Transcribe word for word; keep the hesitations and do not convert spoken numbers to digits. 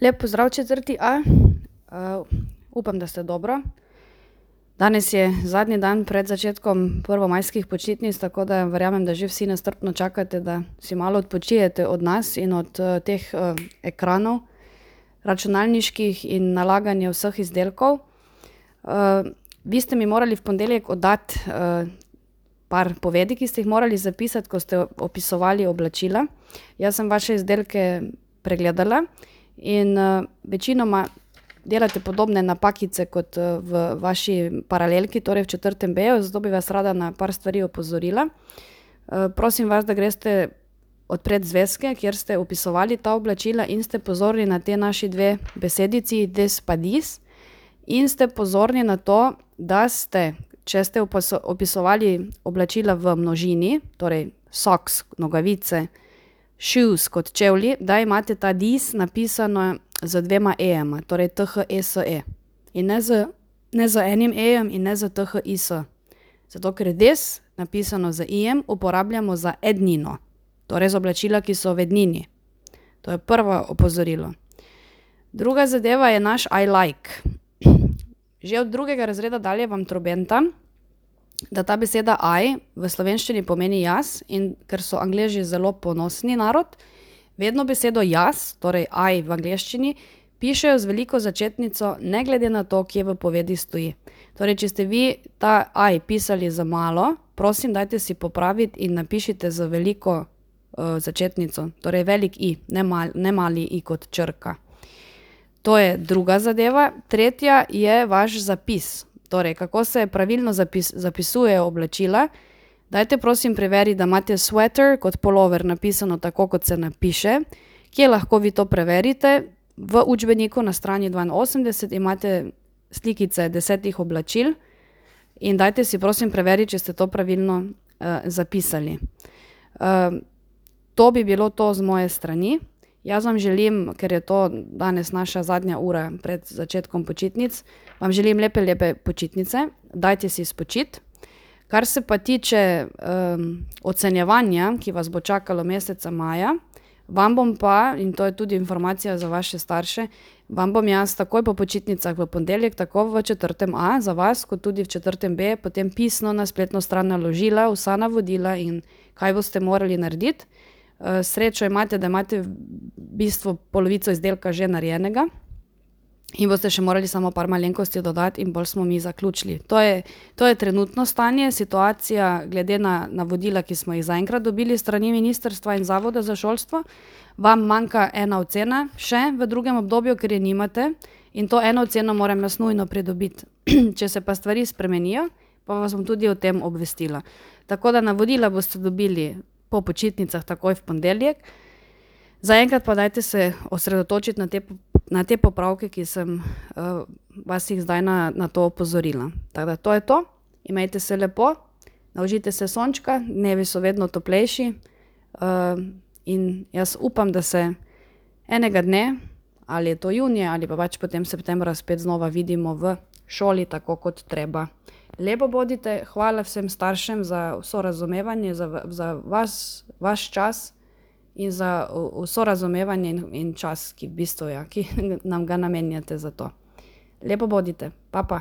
Lep pozdrav četrti A. Uh, upam, da ste dobro. Danes je zadnji dan pred začetkom prvomajskih počitnic, tako da verjamem, da že vsi nestrpno čakate, da si malo odpočijete od nas in od uh, teh uh, ekranov računalniških in nalaganja vseh izdelkov. Uh, vi ste mi morali v ponedeljek oddati uh, par povedi, ki ste jih morali zapisati, ko ste opisovali oblačila. Jaz sem vaše izdelke pregledala in uh, večinoma delate podobne napakice kot uh, v vaši paralelki, torej v četrtem B-ju, zato bi vas rada na par stvari opozorila. Uh, prosim vas, da greste odpred zvezke, kjer ste opisovali ta oblačila in ste pozorni na te naši dve besedici des pa dis in ste pozorni na to, da ste, če ste opisovali oblačila v množini, torej socks, nogavice, shoes kot čevlji, da imate ta dis napisano z dvema e-jema, torej T H E S E. In ne z, ne z enim e-jem in ne z T H I S. Zato, ker je des napisano z i-jem, uporabljamo za ednino, torej z oblačila, ki so v ednini. To je prvo opozorilo. Druga zadeva je naš I like. Že od drugega razreda dalje vam trobenta, da ta beseda I v slovenščini pomeni jaz, in ker so Angleži zelo ponosni narod, vedno besedo jaz, torej I v angleščini, pišejo z veliko začetnico, ne glede na to, kje v povedi stoji. Torej, če ste vi ta I pisali za malo, prosim, dajte si popraviti in napišite z veliko uh, začetnico, torej velik I, ne, mal, ne mali I kot črka. To je druga zadeva. Tretja je vaš zapis. Torej, kako se pravilno zapis, zapisujejo oblačila. Dajte prosim preveri, da imate sweater kot polover napisano tako, kot se napiše. Kje lahko vi to preverite? V učbeniku na strani dvainosemdeset imate slikice desetih oblačil in dajte si prosim preveri, če ste to pravilno uh, zapisali. Uh, to bi bilo to z moje strani. Jaz vam želim, ker je to danes naša zadnja ura pred začetkom počitnic, vam želim lepe, lepe počitnice. Dajte si spočiti. Kar se pa tiče um, ocenjevanja, ki vas bo čakalo meseca maja, vam bom pa, in to je tudi informacija za vaše starše, vam bom jaz takoj po počitnicah v ponedeljek, tako v četrtem A za vas, kot tudi v četrtem B, potem pisno na spletno stran naložila vsa navodila in kaj boste morali narediti. Srečo imate, da imate v bistvu polovico izdelka že narejenega in boste še morali samo par malenkosti dodati in bolj smo mi zaključili. To je, to je trenutno stanje, situacija glede na navodila, ki smo jih zaenkrat dobili strani Ministrstva in Zavoda za šolstvo. Vam manjka ena ocena še v drugem obdobju, ker je nimate, in to eno oceno moram jaz nujno pridobiti. Če se pa stvari spremenijo, pa vas bom tudi o tem obvestila. Tako da navodila boste dobili po počitnicah takoj v ponedeljek. Zaenkrat pa dajte se osredotočiti na te, na te popravke, ki sem uh, vas jih zdaj na, na to opozorila. Tako da to je to. Imejte se lepo, naužite se sončka, dnevi so vedno toplejši uh, in jaz upam, da se enega dne, ali je to junija ali pa pač potem septembra, spet znova vidimo v šoli tako kot treba. Lepo bodite, hvala vsem staršem za vso razumevanje, za, za vas, vaš čas in za vso razumevanje in, in čas, ki v bistvu, ja, ki nam ga namenjate za to. Lepo bodite, pa pa.